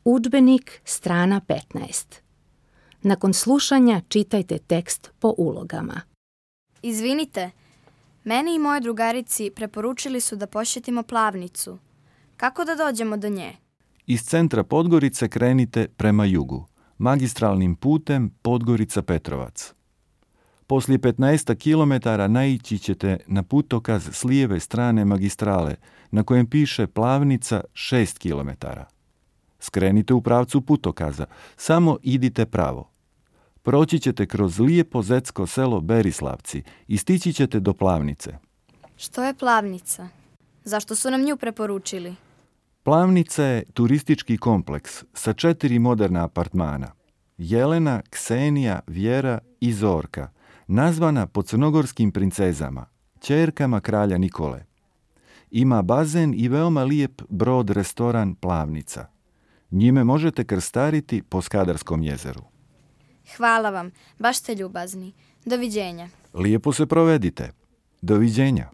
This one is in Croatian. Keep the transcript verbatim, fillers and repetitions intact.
Udžbenik, strana petnaest. Nakon slušanja čitajte tekst po ulogama. Izvinite, meni i moje drugarici preporučili su da posjetimo Plavnicu. Kako da dođemo do nje? Iz centra Podgorice krenite prema jugu, magistralnim putem Podgorica-Petrovac. Poslije petnaest kilometara naići ćete na putokaz s lijeve strane magistrale, na kojem piše Plavnica šest kilometara. Skrenite u pravcu putokaza, samo idite pravo. Proći ćete kroz lijepo zetsko selo Berislavci i stići ćete do Plavnice. Što je Plavnica? Zašto su nam nju preporučili? Plavnica je turistički kompleks sa četiri moderna apartmana. Jelena, Ksenija, Vjera i Zorka, nazvana po crnogorskim princezama, ćerkama kralja Nikole. Ima bazen i veoma lijep brod restoran Plavnica. Njime možete krstariti po Skadarskom jezeru. Hvala vam, baš ste ljubazni. Doviđenja. Lijepo se provedite. Doviđenja.